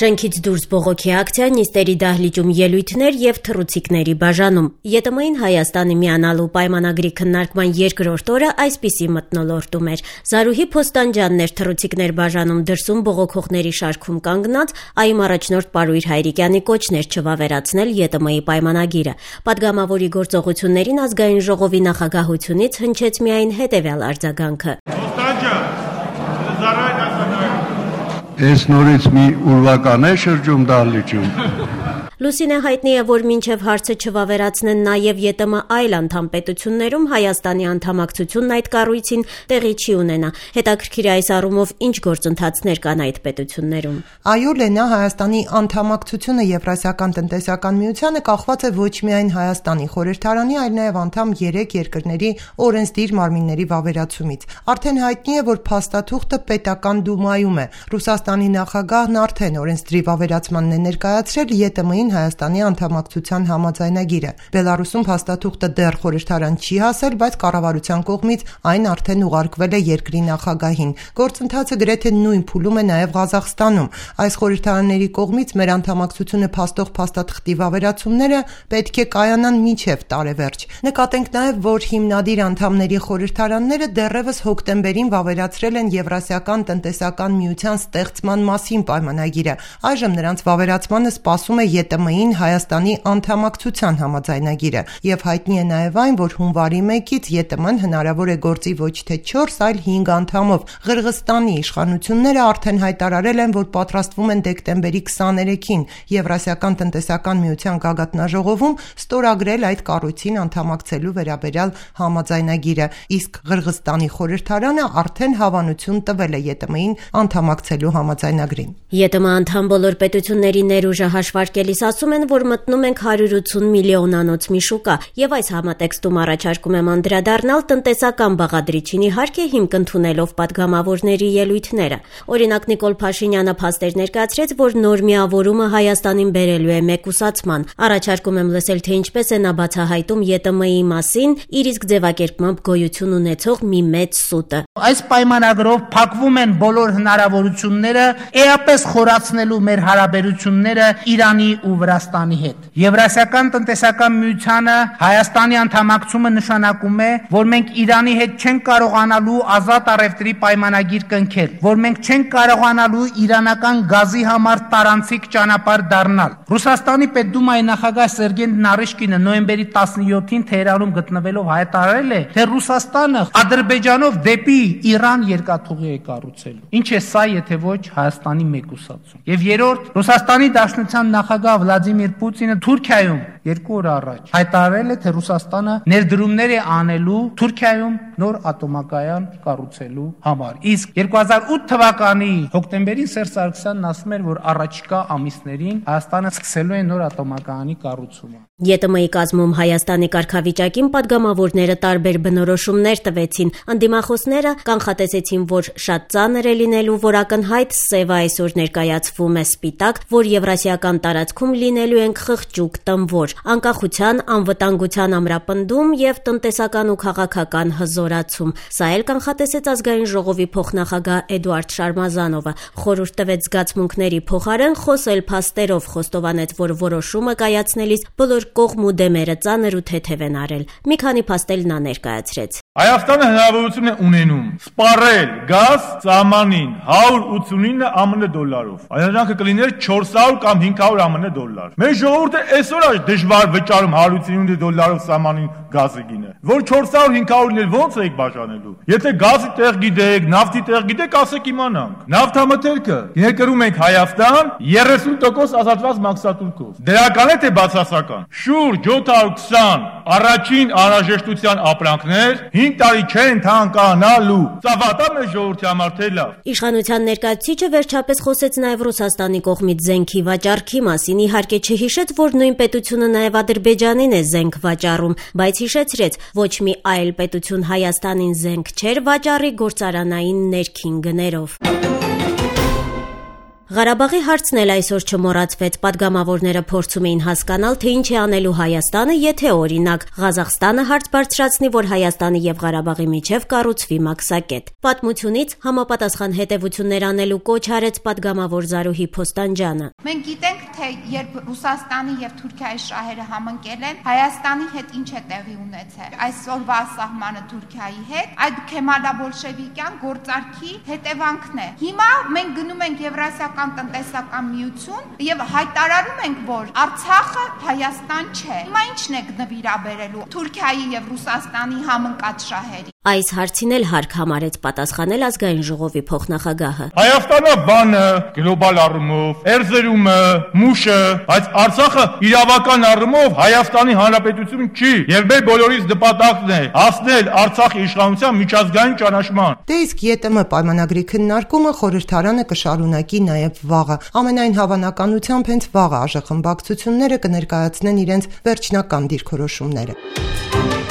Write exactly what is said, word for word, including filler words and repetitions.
Շենքից դուրս բողոքի ակցիա, նիստերի դահլիճում ելույթներ եւ թռուցիկների բաժանում։ ԵՏՄ-ին Հայաստանի միանալու պայմանագրի քննարկման երկրորդ օրը այսպիսի մթնոլորտում էր։ Զարուհի Փոստանջյանն էր թռուցիկներ բաժանում դրսում բողոքողների շարքում կանգնած, ԱԻՄ առաջնորդ Պարույր Հայրիկյանի կոչն էր չվավերացնել ԵՏՄ-ի պայմանագիրը։ Պատգամավորի գործողություններին ազգային ժողովի նախագահությունից հնչեց միայն հետեւյալ արձագանքը. Այս նորից մի ուրվական է շրջում դահլիճում։ Լուսինե հայտնի է, որ մինչև հարցը չվավերացնեն նաև ԵՏՄ այլ անդամ պետություններում Հայաստանի անդամակցությունն այդ կառույցին տեղի չի ունենա։ Հետաքրքիր է այս առումով ինչ գործընթացներ կան այդ պետություններում։ Այո, Լենա, Հայաստանի անդամակցությունը Եվրասիական տնտեսական միությանը կախված է ոչ միայն Հայաստանի խորհրդարանի, այլ նաև անդամ երեք երկրների օրենսդիր մարմինների վավերացումից։ Արդեն հայտնի է, որ փաստաթուղթը պետական դումայում է։ Ռուսաստանի նախագահն արդեն օրենսդրի վավերացմանն է ներկայացրել ԵՏՄ-ին Հայաստանի անդամակցության համաձայնագիրը։ Բելարուսում փաստաթուղթը դեռ խորհրդարան չի հասել, բայց կառավարության կողմից այն արդեն ուղարկվել է երկրի նախագահին։ Գործընթացը գրեթե նույն փուլում է նաև Ղազախստանում։ Այս խորհրդարանների կողմից մեր անդամակցությունը փաստող փաստաթղթի վավերացումները պետք է կայանան մինչև տարեվերջ։ Նկատենք նաև, որ հիմնադիր անդամների խորհրդարանները դեռևս հոկտեմբերին վավերացրել են Եվրասիական տնտեսական միության ստեղծման մասին պայմանագիրը։ Այժմ նրանց վավերացմանը սպասում է ԵՏՄ-ին Հայաստանի անդամակցության համաձայնագիրը, եւ հայտնի է նաև այն, որ հունվարի մեկից ԵՏՄ-ն հնարավոր է գործի ոչ թե չորս, այլ հինգ անդամով։ Ղրղստանի իշխանությունները արդեն հայտարարել են, որ պատրաստվում են դեկտեմբերի քսաներեքին Եվրասիական տնտեսական միության գագաթնաժողովում ստորագրել այդ կառույցին անդամակցելու վերաբերյալ համաձայնագիրը, իսկ Ղրղստանի խորհրդարանը արդեն հավանություն տվել է ԵՏՄ-ին անդամակցելու համաձայնագրին։ ԵՏՄ անդամ բոլոր պետությունների ներուժը հաշվարկելիս ասում են, որ մտնում ենք հարյուր ութսուն միլիոնանոց մի շուկա, եւ այս համատեքստում առաջարկում եմ անդրադառնալ տնտեսական բաղադրիչին, իհարկե հիմք ընդունելով պատգամավորների ելույթները։ Օրինակ Նիկոլ Փաշինյանը փաստեր ներկայացրեց, որ նոր միավորումը Հայաստանին բերելու է մեկուսացման։ Առաջարկում եմ լսել, թե ինչպես է նա բացահայտում ԵՏՄ-ի մասին իր իսկ ձևակերպմամբ գոյություն ունեցող մի մեծ սուտը։ Այս պայմանագրով փակվում են բոլոր հնարավորությունները էապես խորացնելու մեր հարաբերությունները Իրանի ու Վրաստանի հետ։ Եվրասիական տնտեսական միությանը Հայաստանի անդամակցումը նշանակում է, որ մենք Իրանի հետ չենք կարողանալու ազատ առևտրի պայմանագիր կնքել, որ մենք չենք կարողանալու իրանական գազի համար տարանցիկ ճանապարհ դառնալ։ Ռուսաստանի պետդումայի նախագահ Սերգեյ Նարիշկինը նոյեմբերի տասնյոթին Թեհրանում գտնվելով հայտարարել է, թե Ռուսաստանը Ադրբեջանով դեպի Իրան երկաթուղի է կառուցելու։ Ինչ է սա, եթե ոչ Հայաստանի մեկուսացում։ Եվ երրորդ, Ռուսաստանի Դաշնության նախագահ Վլադիմիր Պուտինը Թուրքիայում երկու օր առաջ հայտարարել է, թե Ռուսաստանը ներդրումներ է անելու Թուրքիայում նոր ատոմակայան կառուցելու համար։ Իսկ երկու հազար ութ թվականի հոկտեմբերին Սերժ Սարգսյանն ասում էր, որ առաջիկա ամիսներին Հայաստանը սկսելու է նոր ատոմակայանի կառուցումը։ ԵՏՄ-ի կազմում Հայաստանի կարգավիճակին պատգամավորները տարբեր բնորոշումներ տվեցին։ Անդիմախոսները կանխատեսեցին, որ շատ ծանր է լինելու, որ ակնհայտ սևը այսօր ներկայացվում է սպիտակ, որ եվրասիական տարածքում լինելու ենք խղճուկ տմվոր, անկախության, անվտանգության ամրապնդում եւ տնտեսական ու քաղաքական հզորացում։ Սա էլ կանխատեսեց ազգային ժողովի փոխնախագահ Էդուարդ Շարմազանովը։ Խորհուրդ տվեց զգացմունքների փոխարեն խոսել փաստերով, խոստովանեց, որ որոշումը կայացնելիս բոլոր կողմ ու դեմերը ծանր ու թեթև են արել։ Մի քանի փաստել նա ներկայացրեց։ Հայաստանը հնարավորություն է ունենում սպառել գազ սահմանին հարյուր ութսունինը ԱՄՆ դոլարով։ Այժմ կլիներ չորս հարյուր կամ հինգ հարյուր ԱՄՆ դոլար։ Մեր ժողովուրդը այսօր է դժվար վճարում հարյուր ութսունինը դոլարով սահմանին գազը գինը։ Որ չորս հարյուր հինգ հարյուրն էլ ոնց եք բաժանելու։ Եթե գազի տեղ գիտեք, նավթի տեղ գիտեք, ասեք իմանանք։ Նավթամթերքը ներկրում ենք Հայաստան երեսուն տոկոս ազատված մաքսատուրքով։ Դրական է թե բացասական։ Շուրջ յոթ հարյուր քսան առաջին անհրաժեշտության ապրանքներ հինգ տարի չեն թանկանալու։ Սա վատա մեր ժողովրդի համար թե լավ։ Իշխանության ներկայացուցիչը վերջապես խոսեց նաև Ռուսաստանի կողմից զենքի վաճառքի մասին, իհարկե չհիշեց, որ նույն պետությունը նաև Ադրբեջանին է զենք վաճառում, բայց հիշեցրեց, ոչ մի այլ պետություն Հայաստանին զենք չէր վաճառի գործարանային ներքին գներով։ Ղարաբաղի հարցն էլ այսօր չմոռացվեց։ Պատգամավորները փորձում էին հասկանալ, թե ինչ է անելու Հայաստանը, եթե օրինակ Ղազախստանը հարց բարձրացնի, որ Հայաստանի եւ Ղարաբաղի միջև կառուցվի մաքսակետ։ Պատմությունից համապատասխան հետևություններ անելու կոչ արեց պատգամավոր Զարուհի Փոստանջյանը։ Մենք գիտենք, թե երբ Ռուսաստանի եւ Թուրքիայի շահերը համընկել են, Հայաստանի հետ ինչ է տեղի ունեցել։ Այսօրվա սահմանը Թուրքիայի հետ այդ քեմալա-բոլշևիկյան գործարքի հետևանքն է։ Հիմա մենք գնում ենք Եվրասիական տնտեսական միություն եւ հայտարարում ենք, որ Արցախը Հայաստան չէ։ Հիմա ի՞նչն է նվիրաբերելու Թուրքիայի եւ Ռուսաստանի համընկած շահերի։ Այս հարցին էլ հարկ համարեց պատասխանել ազգային ժողովի փոխնախագահը։ Հայաստանը բանը, գլոբալ առումով, Էրզրումը, Մուշը, բայց Արցախը իրավական առումով Հայաստանի Հանրապետություն չի, եւ մեր բոլորիս նպատակն է հասնել Արցախի իշխանության միջազգային ճանաչման։ Դե իսկ ԵՏՄ պայմանագրի քննարկումը խորհրդարանը կշարունակի նաեւ վաղը։ Ամենայն հավանականությամբ հենց վաղը ԱԺ խմբակցությունները կներկայացնեն իրենց վերջնական դիրքորոշումները։